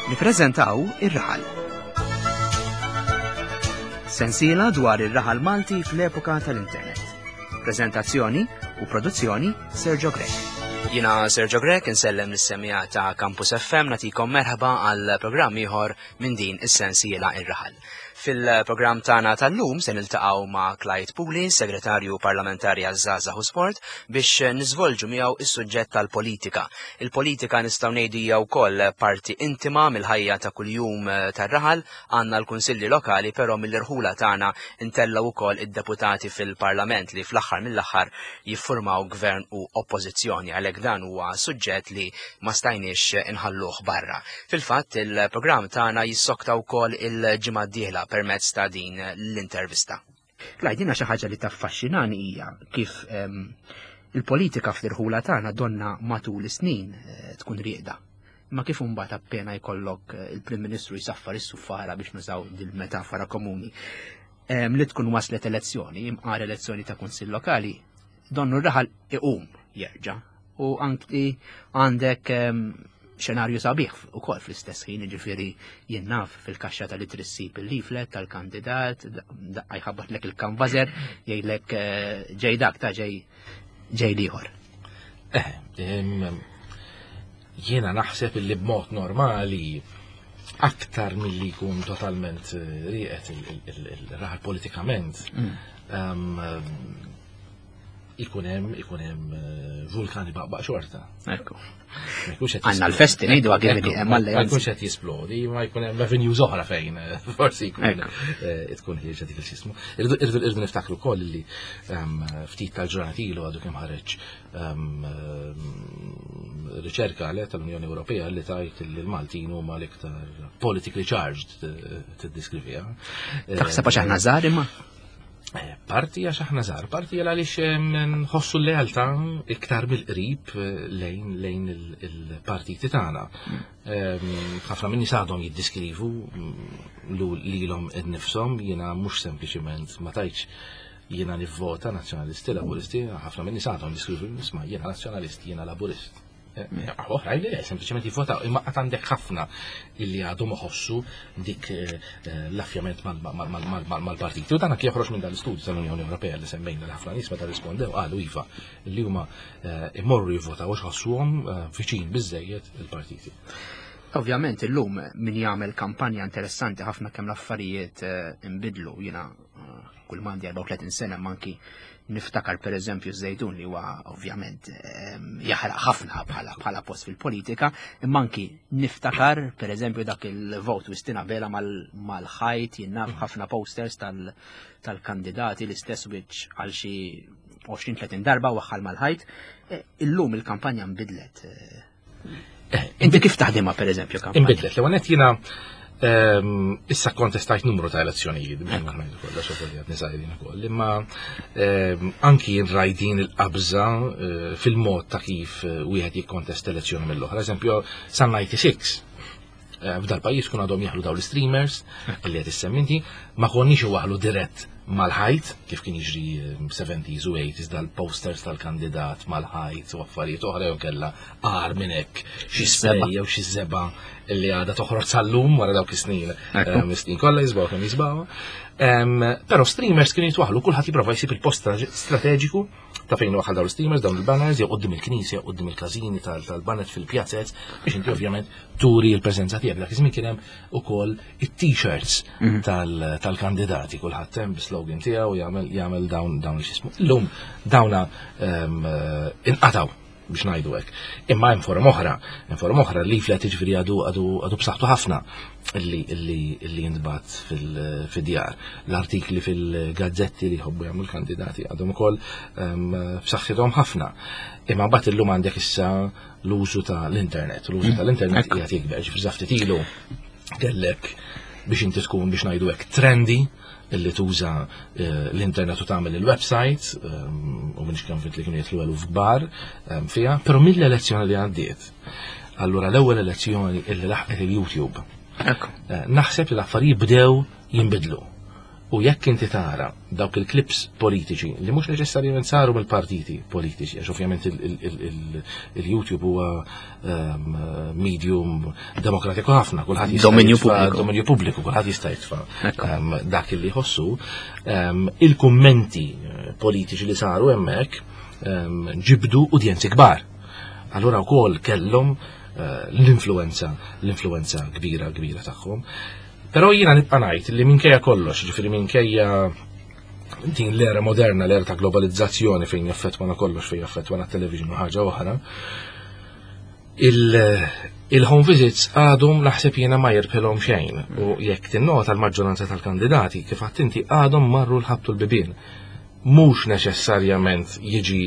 Nippreżentaw Ir-Raħal. Sensiela dwar ir-raħal Malti fl-epoka tal-internet. Preżentazzjoni u produzzjoni Sergio Grech. Jina Sergio Grech insellem lis-semija ta' Campus FM natikom merħba għal programm ieħor minn din is-sensiela Ir-Raħal. Fil-programm tagħna tal-lum se niltaqgħu ma' Clyde Puli, Segretarju Parlamentari għaż-Żgħażagħ u Sport, biex niżvolġu miegħu is-suġġett tal-politika. Il-politika nistgħu ngħidu hija wkoll parti intima mill-ħajja ta' kuljum eh, tar-raħal, għandna l-kunsilli lokali, però mill-irħula tagħna ntellgħu wkoll id-deputati fil-Parlament li fl-aħħar mill-aħħar jiffurmaw gvern u oppożizzjoni għalhekk dan huwa suġġett li ma stajniex inħalluh barra. Fil-fatt, il-programm tagħna jissokta wkoll il-ġimgħa d-dieħla permezz ta' din l-intervista. Clyde, jiena xi ħaġa li taffaxxinani hija kif ehm, il-politika fl-irħula tagħna donna matul is-snin eh, tkun rieqda. Ma kif imbagħad appena jkollok eh, il-Prim Ministru jsaffar is-suffara biex nużaw dil-metafora komuni ehm, li tkun waslet elezzjoni, imqar elezzjoni ta' kunsill lokali, donnu r-raħal iqum jerġa' u anki għandek ehm, xenarju sabiħ u kol fl-istess ħin, ġifiri jinnaf fil-kaxxa tal trissib il-leaflet tal-kandidat, daqqa jħabbatlek il-kanvazer, jgħidlek eh, ġej dak ta' ġej ġej liħor. Eh, jiena naħseb li b'mod normali aktar milli jkun totalment eh, rieqet il-raħal politikament, mm. Ikun hemm ikun hemm eh, vulkani baqbaq xorta. Ekku. Għandna l-festi ngħidu għagħi hemm Ma jkunx qed jisplodi, ma jkun hemm avenues oħra fejn eh, forsi jkun eh, tkun ħierġa dik il-xismu. Irridu niftakru wkoll li ehm, ftit tal-ġurnat ilu għadu kemm ħareġ ehm, ehm, riċerka le tal-Unjoni Ewropea li tajt li l-Maltin huma l-iktar politically charged tiddiskrivija. Taħseb għax aħna żgħar imma? Eh, parti għax aħna żgħar, parti għal għaliex nħossu l-lealtà iktar mill-qrib eh, lejn lejn il-partiti tagħna. Mm. Ħafna minni għadhom jiddiskrivu mm, lilhom innifshom jiena mhux sempliċiment ma tajtx jiena nivvota nazzjonalisti, laburisti, ħafna minni għadhom jiskrivu nisma' jiena nazzjonalist, jiena laburist. Eh, oħrajn li le, sempliċement jivvotaw, imma qatt għandek ħafna illi għadhom iħossu dik eh, eh, l-affjament mal-partiti. U dan anke joħroġ minn dal-istudju tal-Unjoni Ewropea li semmejna li ħafna nies meta rispondew qalu iva li huma imorru jivvotaw għax ħossuhom viċin biżejjed il-partiti. Ovvjament illum min jagħmel kampanja interessanti ħafna kemm l-affarijiet inbidlu jiena kull mandi 34 sena manki niftakar per eżempju Żejtun li huwa ovvjament ehm, jaħraq ħafna bħala bħala post fil-politika, imma anki niftakar per eżempju dak il-vot Wistina Bela mal-ħajt jinnaf mhm. ħafna posters tal-kandidati l-istess wiċċ għal xi 20-30 darba waħħal mal-ħajt. E, illum il-kampanja nbidlet. E, Eh, Inti kif taħdimha per eżempju kampanja? Inbidlet, l-ewwel jiena ehm, issa kontestajt numru ta' elezzjonijiet, biex ma ngħidu kollox ukoll qed nisajrin ukoll, imma ehm, anki jien rajdin il-qabża eh, fil-mod ta' kif eh, wieħed jikkontesta elezzjoni mill-oħra. Eżempju, san 96 f'dal pajjiż kun għadhom jaħlu daw l-streamers li qed issemminti, ma konniex waħlu dirett mal-ħajt, kif kien jiġri 70s u 80s dal-posters tal-kandidat mal-ħajt u affarijiet oħra jew kellha agħar minn hekk xi spray jew xi żeba li għadha toħroġ sal-lum wara dawk is-snin. Eh, snin kollha jisbaw kemm jisbaw. Però streamers kienu jitwaħlu kulħadd jipprova jsib il-post strateġiku ta' fejn waħal dawn l-streamers, dawn il-banners, jew qudiem il-knisja, qudiem il-każini tal-banner fil-pjazzez, biex inti ovvjament turi l-preżenza tiegħek. Dak iż-żmien kien hemm ukoll it-t-shirts mhm. tal-kandidati, kulħadd hemm bi-slogan tiegħu jagħmel jagħmel dawn dawn x'ismu. Illum dawna ehm, eh, inqataw biex ngħidu hekk. Imma hemm forom oħra, hemm forom oħra li flet jiġifieri għadu għadu għadu b'saħħtu ħafna li li li jintbagħat fil-djar. L-artikli fil-gazzetti li jħobbu jagħmlu l-kandidati għadhom ukoll ehm, b'saħħithom ħafna. Imma mbagħad illum għandek issa l-użu ta' l-internet. L-użu mm. tal-internet qiegħed jikber, ġifieri sa ftit ilu kellek biex inti tkun biex ngħidu hekk trendy illi tuża eh, l-internet u tagħmel il-website ehm, u minix kemm li kienu jitlu eluf kbar ehm, fiha, però mill-elezzjoni li għaddiet. Allura l-ewwel elezzjoni illi laħqet il-YouTube. Eh, naħseb li l-affarijiet bdew jinbidlu. U jekk inti tara dawk il-clips politiċi li mhux neċessarjament saru mill-partiti politiċi, għax ovvjament il-YouTube huwa ehm, medium demokratiku ħafna, kulħadd jista' dominju pubbliku, dominju pubbliku, kulħadd jista' jitfa' ehm, dak li jħossu. Ehm, il-kummenti eh, politiċi li saru hemmhekk ġibdu udjenzi kbar. Allura wkoll kellhom eh, l-influenza, l-influenza kbira kbira tagħhom. Però jiena nibqa' ngħid li minkejja kollox, ġifieri minkejja din l-era moderna, l-era ta' globalizzazzjoni fejn jaffettwana kollox, fejn jaffettwana television u ħaġa oħra, il-home visits għadhom naħseb jiena ma jirbħilhom xejn u jekk tinnota l-maġġoranza tal-kandidati kif għadt inti għadhom marru l-ħabtu l-bibien mhux neċessarjament jiġi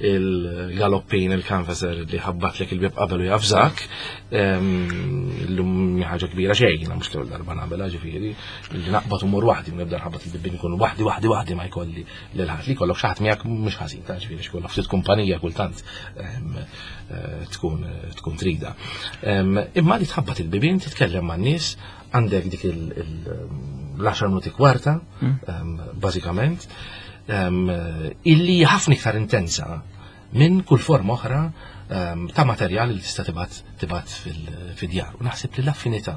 il-galoppin, il-canvasser li ħabbatlek il-bib qabel u jafżak, l-lum ħaġa kbira xejn, jiena mhux l-ewwel darba nagħmilha ġifieri, li naqbad u mur waħdi, nibda nħabbat il-bibien ikun waħdi waħdi waħdi ma jkolli lil ħadd li jkollok xi ħadd miegħek mhux ħażin ta' ġifieri x'kollok ftit kumpanija kultant eh, tkun tkun trida. Imma li tħabbat il-bibien titkellem man-nies Għandek dik l-10 minuti kwarta, hmm. bażikament, illi ħafna iktar intensa minn kull forma oħra ta' materjal li tista' tibgħat tibgħat fid-djar. U naħseb li l-affinità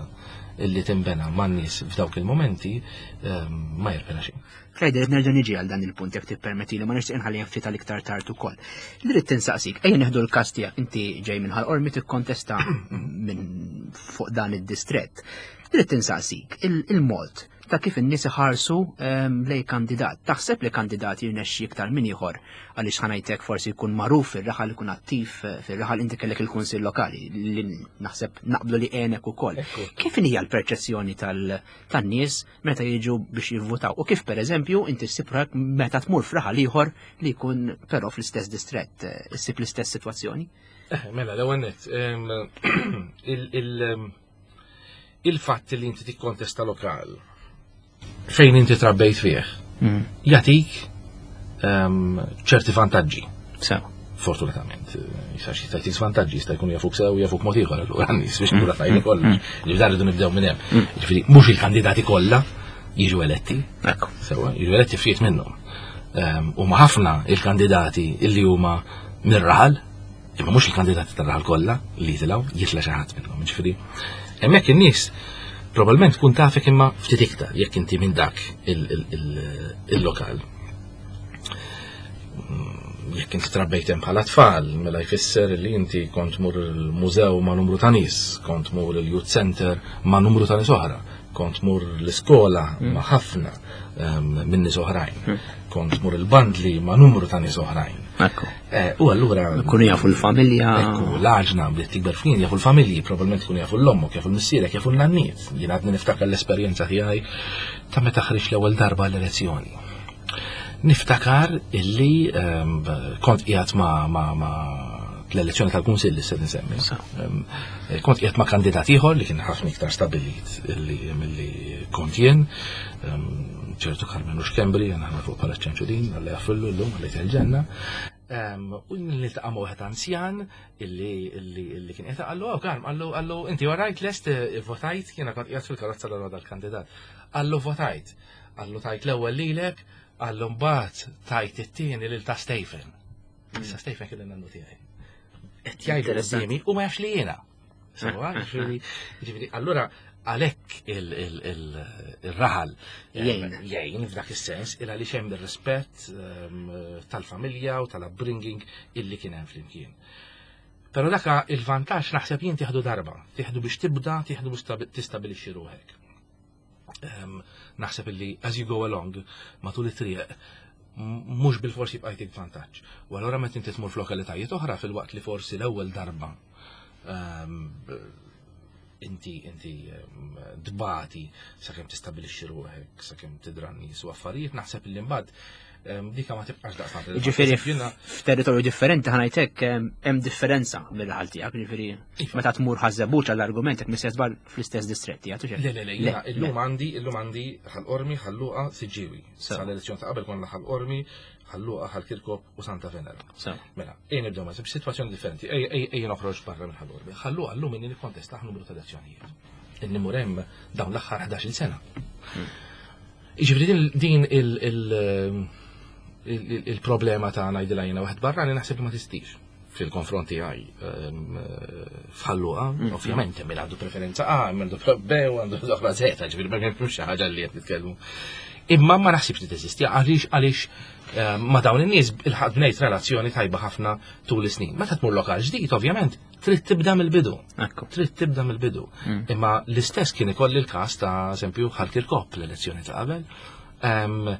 illi timbena man-nies f'dawk il-momenti ma jirpena xejn. Clyde, irrid nerġa' niġi għal dan il-punt jekk tippermetti li ma nixtieq inħalli ftit għal iktar tard ukoll. Li rrid tinsaqsik, ejja neħdu l-każ tiegħek inti ġej minn Ħal-Qormi tikkontesta minn fuq dan id-distrett. Li rrid tinsaqsik, il-mod ta' kif in-nies iħarsu ehm, lej kandidat. Taħseb li kandidat jirnexxi iktar minn ieħor għaliex ħanajtek forsi jkun magħruf fir-raħal ikun attiv eh, fir-raħal inti kellek il-kunsill lokali li naħseb naqblu li għenek ukoll. Kif hija l-perċezzjoni tan-nies meta jiġu biex jivvutaw u kif pereżempju inti ssib meta tmur f'raħal ieħor li jkun però fl-istess distrett eh, issib l-istess sitwazzjoni? Eh, mela, l-ewwel nett, il-fatt li inti tikkontesta lokal fejn inti trabbejt fih, mm. jatik ċerti vantaġġi. Sew. Fortunatament, jista' xi jista' żvantaġġi, jista' jkun jafuk sew jafuk mod ieħor allura nies biex nkunu tajni kollha. Mm. Li dan rridu nibdew minn hemm. Mm. Ġifieri mhux il-kandidati kollha jiġu eletti. Ekku. Sewa, jiġu eletti ftit minnhom. Ehm, huma ħafna il-kandidati illi huma mir-raħal, imma mhux il-kandidati tar-raħal kollha li jitilgħu, jitla' xi ħadd minnhom. Ġifieri, hemmhekk in-nies probabbilment tkun tafek imma ftit iktar jekk inti minn dak il-lokal. Jekk inti trabbejt hemm bħala tfal, mela jfisser li inti kont mur il-mużew ma' numru ta' nies, kont mur il-youth center ma' numru ta' nies oħra, kont mur l-iskola mm. ma' ħafna ehm, minn nies oħrajn, mm. kont mur il-bandli ma' numru ta' nies oħrajn. Eh, u allura. Kunu jafu l-familja. Ekku, l-għaġna bdiet tikber f'kien jafu l-familji, probabbilment kunu jafu l-ommok, jafu l-missierek, jafu l-nanniet. Jien għadni niftakar l-esperjenza tiegħi ta' meta ħriġt l-ewwel darba l-elezzjoni. Niftakar illi ehm, kont qiegħed ma' ma' ma' l-elezzjoni tal-Kunsill li se nsemmi. Ehm, kont qiegħed ma' kandidat ieħor li kien ħafna iktar stabilit milli kont jien, ehm, ċertu Karmenu Xkembri, jien fuq bħala ċenċudin, għalli jaffillu llum għalli ġenna. U niltaqa' ma' wieħed anzjan illi kien qed qallu, oh Karm, qallu qallu inti warajt lest eh, votajt, jiena kont qiegħed fil-karozza l dal-kandidat. Qallu votajt. Qallu tajt l-ewwel lilek, qallu mbagħad tajt it-tieni lil ta' Stephen. Hmm. Issa Stephen kien in-nannu tiegħi. Qed jgħidu quddiemi u ma jafx li jiena. Sewa, ġifieri, ġifieri, allura għalhekk il-raħal jgħin jgħin f'dak is-sens il għaliex hemm ir-rispett ehm, tal-familja u tal-upbringing illi kien hemm flimkien. Però daka il-vantaġġ naħseb jien tieħdu darba, tieħdu biex tibda, tieħdu biex tistabilixxi ruħek. Naħseb illi as you go along matul it-triq mhux bil-forsi jibqa' jtik vantaġġ. U allura meta inti tmur f'lokalitajiet oħra fil-waqt li forsi l-ewwel darba inti inti dbati sakemm tistabilixxi ruħek, sakemm tidra n-nies u affarijiet, naħseb illi mbagħad dika ma tibqax daqstant. Ġifieri f'territorju differenti ħanajtek hemm differenza mill-ħal tiegħek, ġifieri iva. meta tmur ħażebuċ għall-argument jekk mistess żball fl-istess distretti għatu Le, le, le, illum għandi illum għandi ħal-qormi, ħal-luqa, siġġiwi. Sal-elezzjoni ta' qabel konna ħal-qormi, ħal-luqa, ħal-kirkop u Santa Venera. Mela, ejja nibdew ma' sitwazzjoni differenti, ejja noħroġ barra minn ħal-qormi. Ħal-luqa llum inni nikkontesta numru ta' elezzjonijiet. Inni mur hemm dawn l-aħħar 11-il sena. Hmm. Jiġifieri din il-problema ta' ngħidilha jiena waħed barrani naħseb li ma tistix fil-konfront tiegħi ehm, f'ħalluqa, mm. ovvjament hemm għandu preferenza A, hemm għandu B u għandu oħra Z, ġifieri ma kienx xi ħaġa li qed nitkellmu. Imma ma naħsibx li teżisti għaliex għaliex ehm, ma dawn in-nies il-ħadd bnejt relazzjoni tajba ħafna tul is-snin. Meta tmur lokal ġdid, ovvjament, trid tibda mill-bidu. Trid tibda mill-bidu. Mm. Imma l-istess kien ikolli l-każ ta' eżempju Ħal Kirkop l-elezzjoni ta' qabel. Ehm,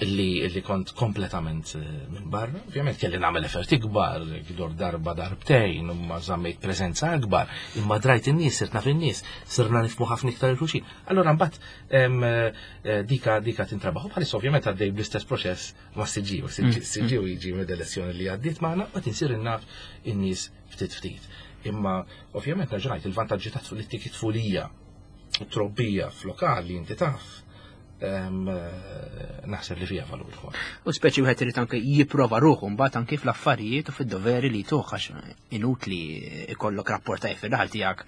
li, li kont kompletament eh, minn barra. Ovvjament kelli nagħmel effort ikbar, gdor darba darbtejn, u ma żammejt preżenza akbar, imma drajt in-nies, sirt naf in-nies, sirna nifmu ħafna iktar il-xulxin. Allura mbagħad eh, dika dika tintrabaħ. U bħalissa ovvjament għaddej bl-istess proċess ma' Siġġiew. Mm. Siġġiew jiġi mid-elezzjoni li għaddiet magħna u tinsir naf in-nies ftit ftit. Imma ovvjament nerġa' ngħid il-vantaġġi ta' li tik tfulija u trobbija f'lokal li inti taf eh, naħseb li fija valur ukoll. U speċi wieħed irid anke jipprova ruħu mbagħad anke fl-affarijiet u fid-doveri li tuħ għax inutli ikollok rapport tajjeb fir-raħal tiegħek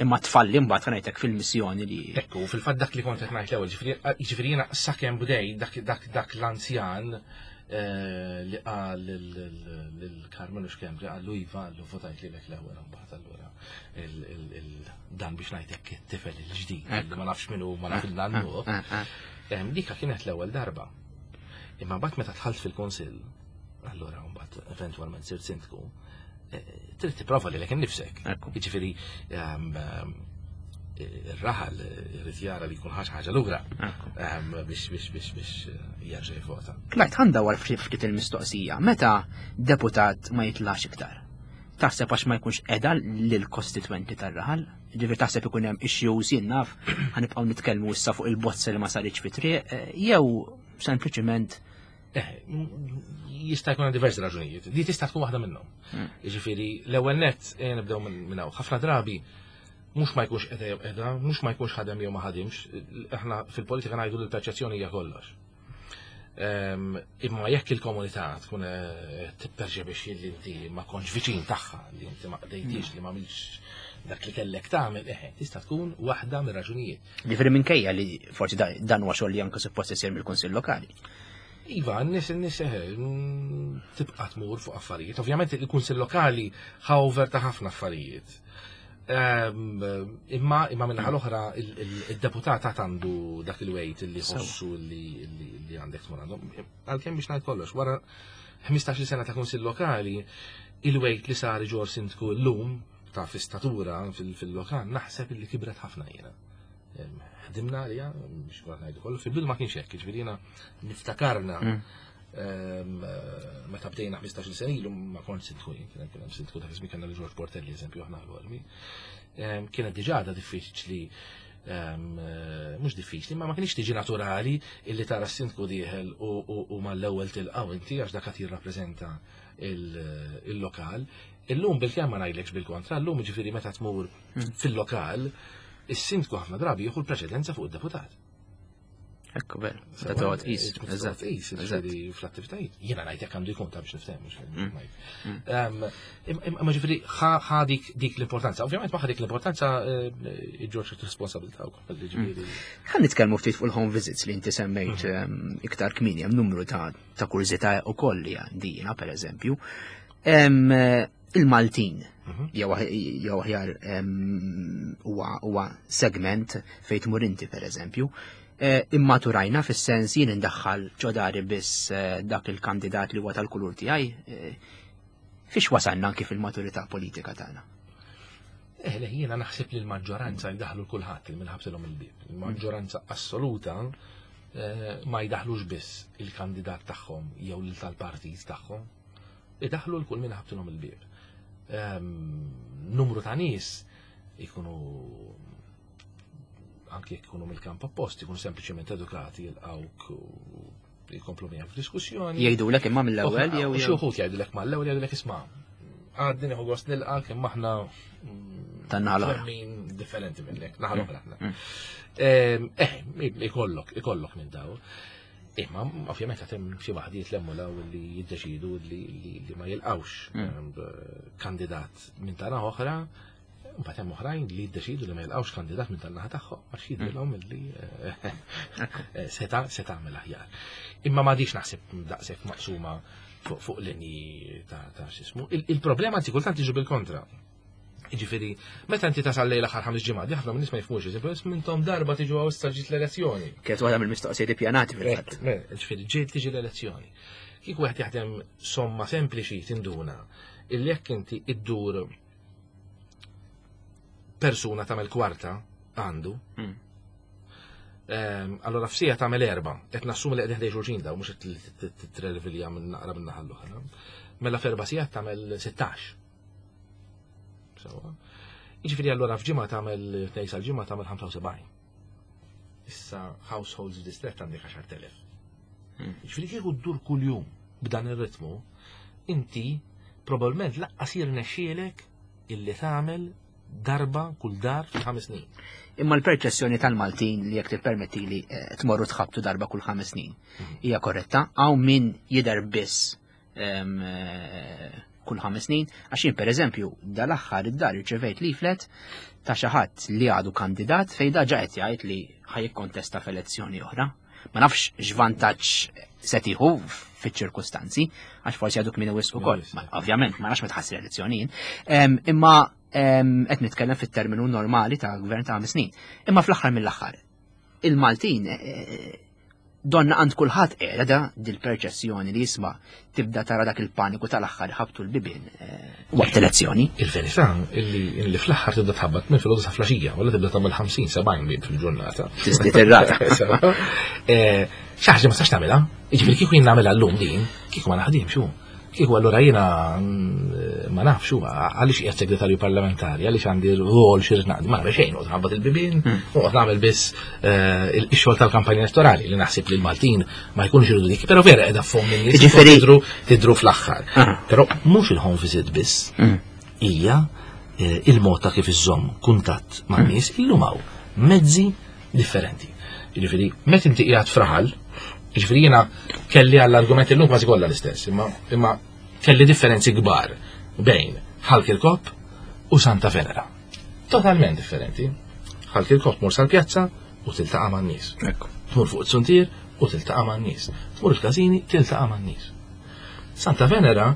imma tfalli mbagħad ngħidlek fil-missjoni li. Ekku, fil-fatt dak li kont qed ngħid l-ewwel, ġifieri jiena sakemm bdej dak dak dak l-anzjan eh, li qal lil Karmenu Xkembri qallu iva qallu votajt lilek l-ewwel mbagħad allura dan biex ngħidlek it-tifel il-ġdid li ma nafx min hu ma naf il-nannu. Eh, eh, dika kienet l-ewwel darba. Imma mbagħad meta dħalt fil-kunsill, allura mbagħad eventwalment sirt sindku, eh, trid tipprova lilek innifsek. Jiġifieri ehm, ehm, ir-raħal irid jara li jkun ħaġa ħaġa lura ehm, biex biex biex biex eh, jerġa' jivvota. Klajt ħandawar ftit il-mistoqsija, meta deputat ma jitlax iktar? Taħseb għax ma jkunx qeda lill-kostitwenti tar-raħal? Ġifier taħseb ikun hemm issues jien naf ħanibqgħu nitkellmu issa fuq il-bozza li ma saritx fi triq, eh, jew sempliċiment Eh, jista' jkun diversi raġunijiet. Di tista' tkun waħda minnhom. Hmm. Jiġifieri l-ewwel nett eh, nibdew minn hawn. Ħafna drabi mhux ma jkunx qeda jew qeda, mhux ma jkunx ħadem jew ma ħadimx, aħna fil-politika ngħidu li l-perċezzjoni hija kollox. Ehm, imma jekk il-komunità tkun eh, tipperċepixxi li inti ma kontx viċin tagħha, li inti ma qdejtix, li ma għamilx dak li kellek tagħmel, eħe, tista' tkun waħda mir-raġunijiet. Ġifieri minkejja li forsi dan huwa xogħol li anke suppost isir mill-Kunsill Lokali. Iva, n-nies n-nies eh, tibqa' tmur fuq affarijiet. Ovvjament il-Kunsill Lokali ħawver ta' ħafna affarijiet. Ehm, imma imma minnaħa l-oħra il-deputat għad għandu dak il-wejt li ħossu li għandek tmur għandhom. Għalkemm biex ngħid kollox, wara 15 sena ta' Kunsill Lokali, il-wejt li sar ġor sindku llum ta' fi statura fil-lokal, naħseb li kibret ħafna jiena. Ħdimna għalija, biex kont ngħidu kollu, fil-bidu ma kienx hekk, ġifieri jiena niftakarna mm. meta bdejna 15-il sena ilu ma kont sindku jien, kien hemm sindku dak iż-żmien kellna li George Portelli eżempju aħna l-Olmi. Kienet diġà għadha diffiċli eh, mhux diffiċli, ma ma kienx tiġi naturali illi tara s-sindku dieħel u mal-ewwel tilqgħu inti għax dak qed jirrappreżenta il-lokal. Illum bil-kemm ma ngħidlekx bil-kontra, illum ġifieri meta tmur hmm. fil-lokal, is-sindku ħafna drabi jieħu l-preċedenza fuq id-deputat. Ekku veru, meta toqgħod qis. Eżatt, qis, ġifieri fl-attivitajiet. Jiena ngħid jekk għandu jkun ta' biex niftehmu. Hmm. Hmm. Imma ġifieri ħa dik l-importanza. Ovvjament ma dik l-importanza eh, iġġor ċertu responsabilità wkoll. Hmm. Ħa nitkellmu ftit fuq il-home visits li inti semmejt iktar kmieni hemm numru ta' ta' kurżità ukoll li għandi jiena pereżempju. Il-Maltin mhm. jew aħjar huwa segment fejn tmur inti pereżempju. E, immaturajna fis-sens jien indaħħal ġodari biss e, dak il-kandidat li huwa tal-kulur tiegħi. E, fiex wasalna anki fil-maturità politika tagħna? Eh, le, jiena naħseb li l-maġġoranza jdaħlu kulħadd il minħabsilhom il-bib. Il-maġġoranza assoluta eh, ma jdaħlux biss il-kandidat tagħhom jew lil tal-partit tagħhom. Idaħlu l-kull minn ħabtilhom il-bib. Ehm, numru ta' nies ikunu anke jekk ikunu mill-kamp oppost, ikunu sempliċement edukati jilqawk jkomplu miegħek f'diskussjoni. Jgħidulek imma mill-ewwel jew xi wħud jgħidulek mal-ewwel jgħidulek isma' għadni nieħu gost nilqak imma aħna mm, tan-naħa l Min differenti minnek, naħa l-oħra aħna. Mm. Ehm, eh, ikollok, ikollok minn daw. Imma ovvjament qed hemm xi waħdiet lemmu law li jiddeċidu li ma jilqawx mm. ehm, kandidat minn tara oħra. Mbagħad hemm oħrajn li jiddeċidu li ma jilqgħux kandidat minn tan-naħa tagħhom għax jidrilhom li eh, eh, seta' se tagħmel aħjar. Imma m'għadix naħseb daqshekk maqsuma fuq linji ta' x'ismu. Il-problema anzi kultant jiġu bil-kontra. Ġifieri, meta inti tasal lejl aħħar ħames ġimgħat, ħafna minn nies ma jifhmux, eżempju, mintom darba tiġu għaw issa ġiet l-elezzjoni. Kienet waħda mill-mistoqsijiet ippjanati fil-fatt. Ġifieri, ġiet tiġi l-elezzjoni. Kieku wieħed jaħdem somma sempliċi tinduna illi jekk inti iddur persuna tagħmel kwarta għandu. Hmm. Ehm, allora f'sija tagħmel erba, qed nassumi li qegħdin ħdej xulxin daw mhux qed titrelvilja minn naqra minn naħa l-oħra. Mela f'erba' sigħat tagħmel 16. Sewa. Jiġifieri allura f'ġimgħa tagħmel tnejn sal-ġimgħa tagħmel 75. Issa households distret għandek 10,000. Hmm. Jiġifieri kieku ddur kuljum b'dan ir-ritmu, inti probabbilment laqqas jirnexxielek illi tagħmel darba kull dar fi ħames snin. Imma l-perċessjoni tal-Maltin li jekk tippermettili eh, tmorru tħabtu darba kull ħames snin mhm. hija korretta, hawn min jidher biss eh, kull ħames snin, għax jien pereżempju dal-aħħar id-dar irċevejt leaflet ta' xi ħadd li għadu kandidat fejn daġa qed jgħid li ħajikkontesta f'elezzjoni oħra. Ma nafx x'vantaġġ se tieħu fiċ-ċirkustanzi, għax forsi għaduk minn wisq ukoll. Ovvjament, ma nafx ma tħassir elezzjonijiet. Imma qed nitkellem fit-terminu normali ta' gvern ta' ħames snin. Imma fl-aħħar mill-aħħar, il-Maltin eh, eh, donna għand kulħadd qiegħda dil-perċessjoni li jisma' tibda tara dak il-paniku tal-aħħar ħabtu l-bibien eh, waqt elezzjoni. Il-verità illi illi fl-aħħar tibda tħabbat minn filgħodu sa flaxija, wala tibda tagħmel 50 70 bib fil-ġurnata. Tiżdied ir-rata. Eh, xi ħaġa ma tistax tagħmilha. Jiġifieri kieku jien nagħmilha llum din, kieku ma naħdimx hu. Kieku allura jiena mm, ma nafx huwa għaliex qiegħed segretarju parlamentari, għaliex għandi rwol xi naqdi, ma nagħmel xejn, noqgħod nħabbat il-bibien, hmm. noqgħod nagħmel biss eh, ix-xogħol tal-kampanja elettorali li naħseb li l-Maltin ma jkunx iridu dik, però vera qiegħda f'fomm in-nies. Jiġifieri tidru tidru fl-aħħar. Ah. Però mhux il-home visit biss hmm. hija eh, il-mod ta' kif iżżomm kuntatt man hmm. nies illum hawn mezzi differenti. Jiġifieri, meta inti qiegħed fraħal, jiġifieri jiena kelli għall-argument illum kważi kollha l-istess, imma, imma kelli differenzi kbar bejn Ħalk il-Kop u Santa Venera. Totalment differenti. Ħalk il-Kop mur sal-pjazza u tiltaqa' man-nies. Tmur fuq it-suntier u tiltaqa' man-nies. Tmur il-każini tiltaqa' man-nies. Santa Venera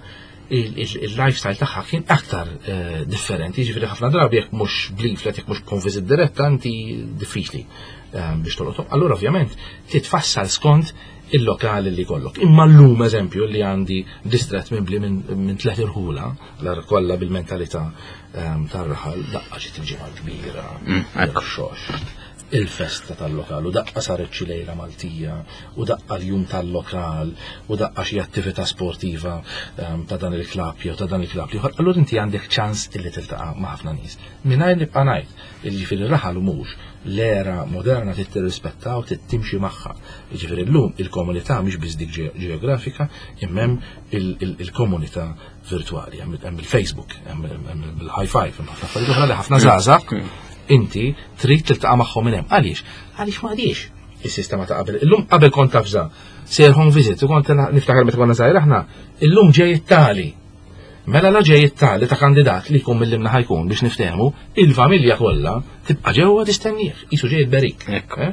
il-lifestyle tagħha kien aktar eh, differenti, ġifieri ħafna drabi jekk mhux b'leaflet, jekk mhux b'home visit diretta, inti diffiċli eh, biex tolqothom. Allura ovvjament titfassal skont il-lokali li kollok. Imma llum eżempju li għandi distret mibli minn tlet irħula, l kollha bil-mentalità ehm, tar-raħal, daqqa ġiet il-ġimgħa kbira, mm, xoxt, il-festa tal-lokal u daqqa saret xi lejla Maltija u daqqa l-jum tal-lokal u daqqa xi attività sportiva ehm, ta' dan il-klabb jew ta' dan il-klabb ieħor, allura inti għandek ċans illi tiltaqa' ma' ħafna nies. Mingħajr nibqa' ngħid, jiġifieri raħal u mhux l-era moderna trid tirrispetta u trid timxi magħha. Jiġifieri llum il-komunità mhix biss dik ġeografika, imma hemm il-komunità virtwali, hemm il-Facebook, hemm il-high five, hemm ħafna affarijiet oħra li ħafna żgħażagħ inti trid tiltaqa' magħhom minn hemm. Għaliex? Għaliex ma għadix is-sistema ta' qabel. Illum qabel kont tafża, sejr home visit, u kont niftakar meta konna żgħir aħna, illum ġej it-tali. Mela la ġej it-tali ta' kandidat li jkun mill-limna ħajkun biex niftehmu, il-familja kollha tibqa' ġewwa tistennieh, qisu ġej berik. Eh?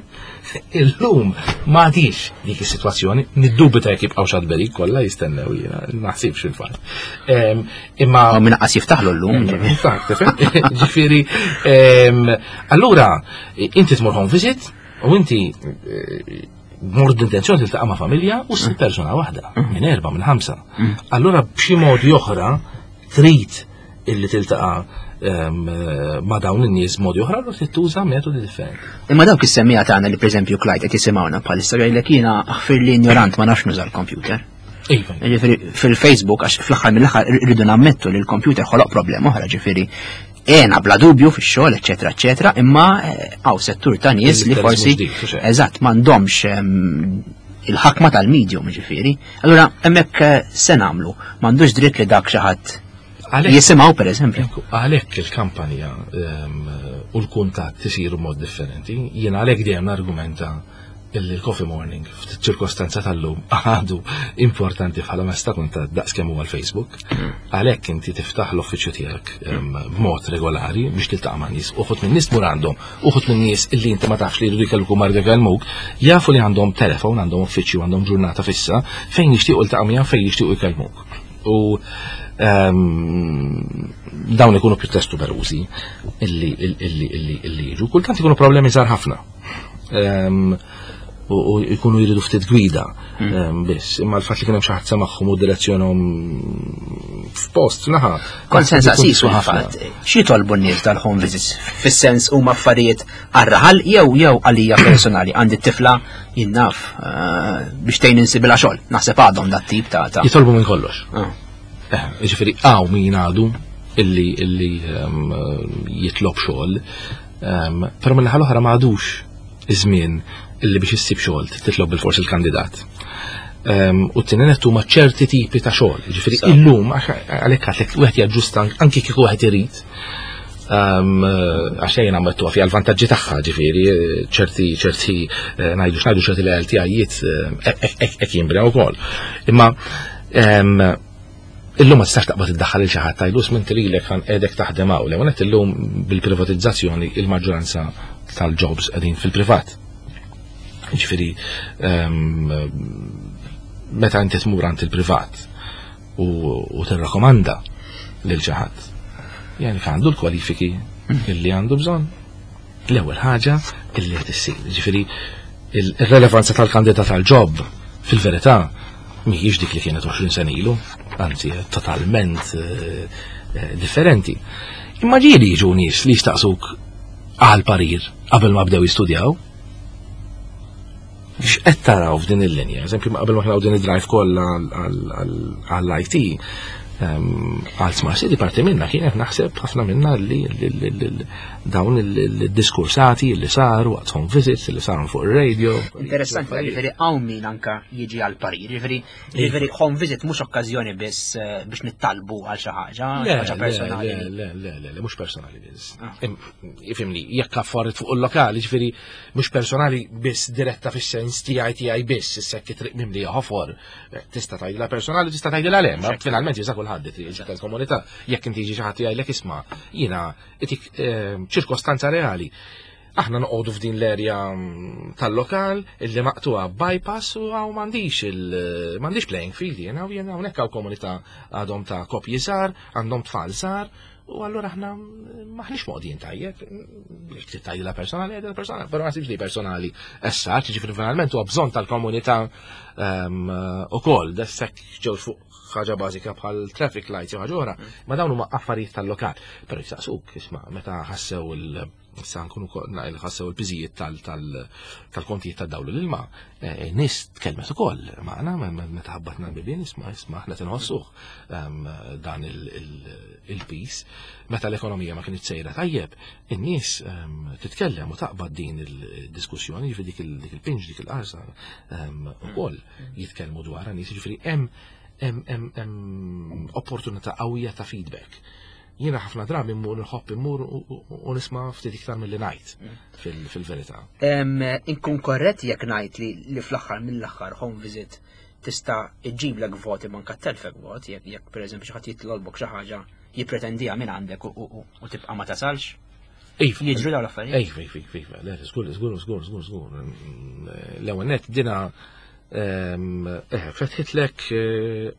Illum ma għadix dik is-sitwazzjoni, niddubita jekk jibqgħu xad berik kollha jistennew jiena, naħsibx il-fatt. Imma min qas jiftaħlu llum. Ġifieri, allura inti tmur home visit u inti eh, mort b'intenzjoni tiltaqa' ma' familja u ssib persuna waħda, mm. minn erba' minn ħamsa. Mm. Allura b'xi mod oħra trid illi tiltaqa' ehm, ma' dawn in-nies modi oħra u trid tuża metodi differenti. Imma dawk is-semmija tagħna li pereżempju Clyde qed jisimgħuna bħalissa jgħidlek jiena aħfir li ignorant ma nafx nuża l-computer. Iva. Ġifieri fil-Facebook għax fl-aħħar mill-aħħar rridu nammettu li l-computer ħoloq problema oħra ġifieri Ena bla dubju fix-xogħol, eċetera, eċetera, imma eh, hawn settur ta' nies li forsi eżatt m'għandhomx ehm, il-ħakma tal-medium ġifieri. Allura hemmhekk eh, se nagħmlu, m'għandux dritt li dak xi ħadd jisimgħu pereżempju. Għalhekk il-kampanja ehm, u l-kuntatt isiru mod differenti, jien għalhekk dejjem argumenta. illi l-coffee morning f'ċirkostanza tal-lum għadu importanti bħala mezz ta' kuntatt daqs kemm huwa l-Facebook. Għalhekk inti tiftaħ l-uffiċċju tiegħek b'mod regolari biex tiltaqa' ma' nies, uħud minn nies tmur għandhom, uħud minn nies illi inti ma tafx li jridu jkellmuk u ma jridu jkellmuk, jafu li għandhom telefon, għandhom uffiċċju, għandhom ġurnata fissa fejn jixtiequ iltaqa' miegħek fejn jixtiequ jkellmuk. U dawn ikunu pjuttost numerużi illi illi illi illi jiġu. Kultant ikunu problemi żgħar ħafna. U jkunu jridu ftit gwida biss. Imma l-fatt li kien hemm xi ħadd semagħhom u direzzjonhom f'post naħa. Kont se nsaqsik ħafna. X'jitolbu n-nies tal-home visits? Fis-sens huma affarijiet għar-raħal jew jew għalija personali għandi t-tifla jien naf eh, biex tgħin insibilha xogħol. Naħseb għadhom dat tip ta' Jitolbu minn kollox. Ah. Eh, ġifieri hawn min għadu illi illi jitlob xogħol Però minn naħa l-oħra ma għadux iż-żmien illi biex issib xogħol titlob bil-fors il-kandidat. U t-tieni nett huma ċerti tipi ta' xogħol. Ġifieri illum għalhekk għatlek wieħed jaġġusta anki kieku wieħed irid għax jien għamlettuha fiha l-vantaġġi tagħha, ġifieri ċerti ċerti eh, ngħidu x'ngħidu ċerti lealtijiet hekk eh, jinbnew ukoll. Imma Illum ma tistax taqbad iddaħħal lil xi ħadd tgħidlu isma' inti lilek ħa nqiegħdek taħdem hawn. L-ewwel nett illum bil-privatizzazzjoni il-maġġoranza tal-jobs qegħdin fil-privat. Jiġifieri ehm, meta inti tmur għand il-privat u tirrakkomanda lil xi ħadd. Yani għandu l-kwalifiki illi għandu bżonn. L-ewwel ħaġa illi qed issir. Ġifieri il-relevanza tal-kandidat għal-ġob fil-verità mhijiex dik li kienet 20 sena ilu, anzi totalment eh, eh, differenti. Imma ġieli jiġu nies li jistaqsuk għal parir qabel ma bdew jistudjaw. X'qed taraw f'din il-linja? Eżempju, qabel ma ħnaw din id-drive kollha għall-IT, ehm, għal Smart City parti minna kienet naħseb ħafna minna li dawn il-diskursati li saru waqt home visits li saru fuq ir-radio. Interessanti, ġifieri hawn min anka jiġi għal parir, ġifieri ġifieri home visit mhux okkażjoni biss eh, biex nittalbu għal xi ħaġa, ħaġa personali. Le, le, le, le, mhux personali biss. Ah. Ifimni, jekk affarijiet fuq il-lokali, ġifieri mhux personali biss diretta fis-sens tiegħi tiegħi biss, issa jekk triq mimlija ħofor, eh, tista' tgħidilha personali, tista' tgħidilha le, ma finalment jisa kulħadd triq tal-komunità, jekk inti jiġi xi ħadd jgħidlek isma' jiena itik eh, ċirkostanza reali. Aħna noqogħdu f'din l-erja mm, tal-lokal illi maqtuha bypass u għaw m'għandix il m'għandix playing field jiena u jiena hawnhekk hawn komunità għadhom ta' kopji żgħar, għandhom tfal żgħar, U allura aħna maħniex moqdin tajjeb, jekk trid tgħidilha personali, għidilha personali, però ma nasibx li personali essa, ġifieri finalment huwa bżonn tal-komunità ehm, ukoll, dessek ġew fuq ħaġa bażika bħal traffic lights jew ħaġa oħra, ma dawn huma affarijiet tal-lokal. Però jistaqsuk, isma' meta ħassew il- Issa nkunu ħassew il-piżijiet tal-kontijiet tad-dawl l-ilma, eh, nis tkellmet ukoll magħna meta ħabbatna l-bibien isma' isma' aħna tinħossuh ehm, dan il-piż. Meta l-ekonomija ma kienx sejra tajjeb, in-nies ehm, titkellem u taqbad din il-diskussjoni, jiġifieri dik il-pinġ, dik il-qarsa ehm, ukoll jitkellmu dwarha nies, jiġifieri hemm opportunità qawwija ta' feedback. Jiena ħafna drabi mmur nħobb immur u nisma' ftit iktar milli ngħid mm. fil-verità. Inkun korrett jekk ngħid li fl-aħħar mill-aħħar home visit tista' iġġiblek voti manka telfek vot, jekk jekk pereżempju xi ħadd jitlolbok xi ħaġa jippretendiha minn għandek u tibqa' ma tasalx. Iva. Jiġru dawn l-affarijiet. Iva, iva, iva, iva, le, żgur, żgur, żgur, żgur, żgur. L-ewwel net dina eh, fetħitlek eh,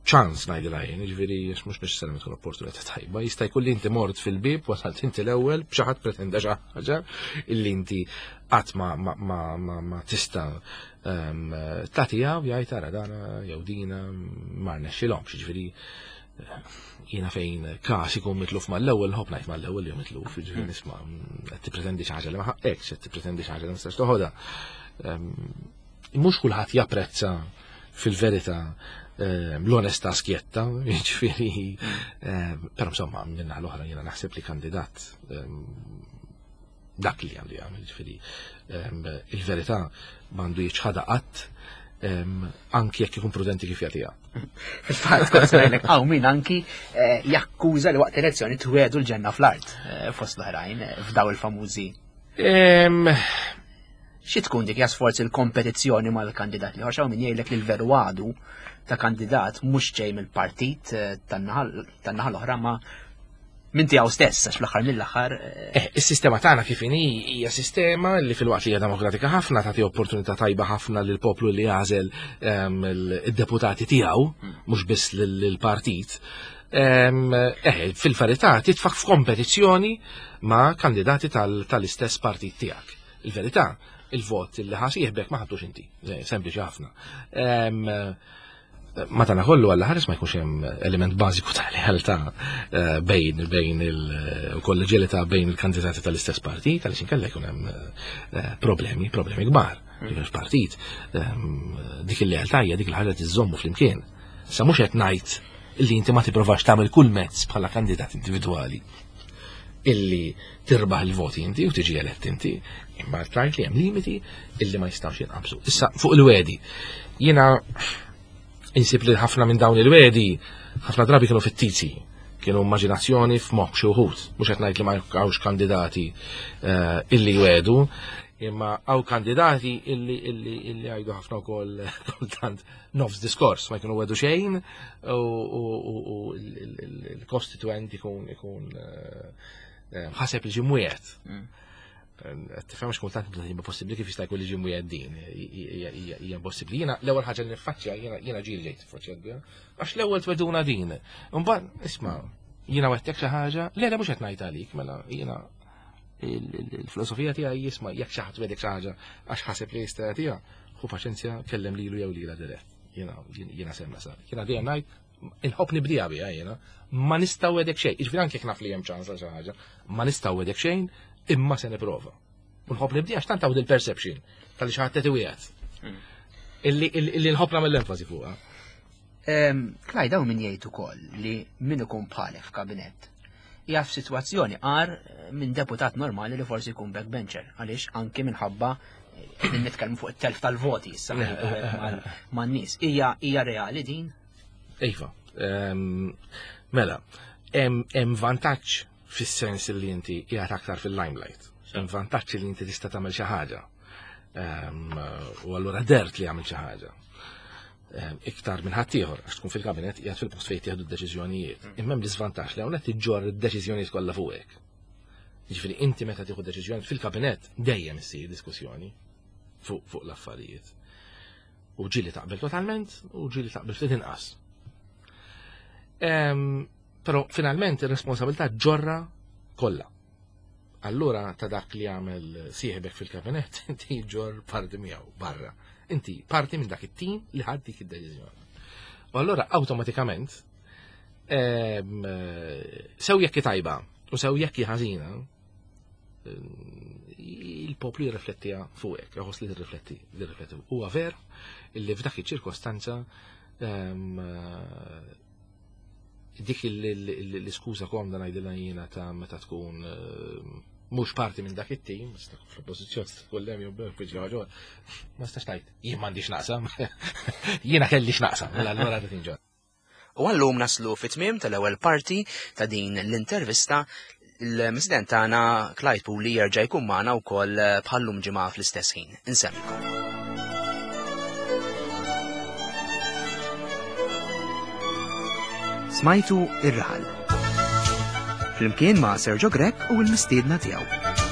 ċans ngħidilha jien, jiġifieri għax mhux neċessarjament tkun opportunità tajba, jista' jkun li inti mort fil-bieb wasalt inti l-ewwel b'xi ħadd pretenda xi ħaġa illi inti qatt ma, ma, ma, ma, ma tista' ehm, tagħtiha u jgħid ara dana jew dina ma rnexxilhomx, jiġifieri eh, jiena fejn każ ikun mitluf mal-ewwel nħobb ngħid mal-ewwel jew mitluf, jiġifieri hmm. nisma' qed tippretendi xi ħaġa li ma ħaqqekx, qed tippretendi xi ħaġa li ma tistax toħodha. Ehm, mhux kulħadd japprezza fil-verità eh, l-onestà skjetta, jiġifieri, eh, però insomma minna l-oħra jiena naħseb li kandidat eh, dak li għandu jagħmel, jiġifieri il-verità m'għandu jiċħadha qatt anki jekk ikun prudenti kif jagħtiha. Fil-fatt, kont ngħidlek hawn min anki jakkuża li waqt elezzjoni twedu l-ġenna fl-art fost l-oħrajn f'daw il-famużi. Xi tkun dik sforz il-kompetizzjoni mal-kandidat li ħorxaw min jgħidlek li l-veru għadu ta' kandidat mhux ġej mill-partit eh, tan-naħa l-oħra ma minn tiegħu stess għax fl-aħħar mill-aħħar. Eh, eh, is-sistema tagħna kif inhi hija sistema li filwaqt li hija demokratika ħafna tagħti opportunità tajba ħafna lil poplu li jagħżel ehm, id-deputati tiegħu hmm. mhux biss lill-partit. Ehm, eh, fil-verità titfak f'kompetizzjoni ma' kandidati tal-istess partit tiegħek. Il-verità, il-vot li ħasieħbek ma ħadtux inti, sempliċi ħafna. Ehm, Madanakollu għalla ħares ma jkunx hemm element bażiku ta' lealtà eh, bejn bejn il-kolleġjalità bejn il-kandidati tal-istess partit, għaliex inkella jkun hemm eh, problemi, problemi kbar. Mm. Partit, ehm, dik il-lealtà hija dik il-ħaġa tiżommu flimkien. Sa mhux qed ngħid li inti ma tipprovax tagħmel kull mezz bħala kandidat individwali illi tirbaħ il-voti inti u tiġi elett inti, imma tgħid li hemm limiti illi ma jistgħux jinqabżu. Issa fuq il-wedi, jiena insib li ħafna minn dawn il-wedi ħafna drabi kienu fittizi, kienu immaġinazzjoni f'moħħ xi wħud, mhux qed ngħid li ma hawnx kandidati eh, illi jwedu, imma hawn kandidati illi illi illi għajdu ħafna wkoll kultant nofs diskors ma jkunu wedu xejn u l-kostituent ikun ikun eh, eh, ħaseb li ġie mwiegħed. Mm. Tifhem għax kultant hija possibbli kif jista' jkun li ġie mwiegħed din hija impossibbli. Jiena l-ewwel ħaġa li niffaċċja jiena ġieli ġejt tiffaċċja biha għax l-ewwel tweduna din. Imbagħad isma' jiena wettek xi ħaġa, le le mhux qed ngħid għalik, mela jiena il-filosofija tiegħi jisma' jekk xi ħadd wedek xi ħaġa għax ħaseb li jista' jagħtiha, ħu paċenzja kellem lilu jew lilha dirett. Jiena jiena semma sa. Jiena dejjem ngħid inħobb nibdija biha jiena, ma nista' wedek xejn. Jiġifieri anke jekk naf li hemm ċans għal xi ħaġa, ma nista' wedek xejn, imma se nipprova. U nħobb nibdija għax tant hawn il-perception tal-li xi ħadd qed iwiegħed. Hmm. Illi nħobb nagħmel l-enfasi fuqha. Klaj dawn min jgħid ukoll li min ikun bħalek f'kabinett hija f'sitwazzjoni qar minn deputat normali li forsi jkun backbencher għaliex anki minħabba qegħdin nitkellmu fuq it-telf tal-voti issa man-nies. Hija hija reali din? Iva. Ehm, mela, hemm vantaġġ fis-sens li inti qiegħed aktar fil-limelight. Hemm vantaġġ li inti tista' tagħmel xi ħaġa. Ehm, u allura dert li għamil xi ħaġa. Ehm, iktar minn ħaddieħor għax tkun fil-kabinet qiegħed fil-post fejn tieħdu d-deċiżjonijiet. Mm. Imma hemm l-iżvantaġġ li hawnhekk tiġġorr id-deċiżjonijiet kollha fuqek. Jiġifieri inti meta tieħu deċiżjoni fil-kabinett dejjem issir diskussjoni fuq fuq l-affarijiet. U ġieli taqbel totalment u ġieli taqbel ftit inqas. Ehm, però finalment ir-responsabilità ġorra kollha. Allura ta' dak li għamel sieħbek fil-kabinett, inti ġor parti miegħu barra. Inti parti minn dak it-tim li ħad dik id-deċiżjoni. U allura awtomatikament ehm, sew jekk tajba u sew jekk ħażina, il-poplu jirriflettiha fuqek, jħoss li tirrifletti, tirrifletti. Huwa ver illi f'dak iċ-ċirkostanza ehm, dik l-iskuża komda ngħidilha jiena ta' meta tkun ehm, mhux parti minn dak it-tim, sta fl-oppożizzjoni sta tkun lem jew ħaġa, ma stax tgħid, jien m'għandix naqsam, jiena kelli x'naqsam, mela allura tinġa. U għallum naslu fit-tmiem tal-ewwel parti ta' din l-intervista il-President tagħna Clyde Puli jerġa' jkun magħna wkoll bħallum ġimgħa fl-istess ħin. Insemmilkom. Smajtu ir-raħal. Flimkien ma' Sergio Grech u l-mistiedna tiegħu.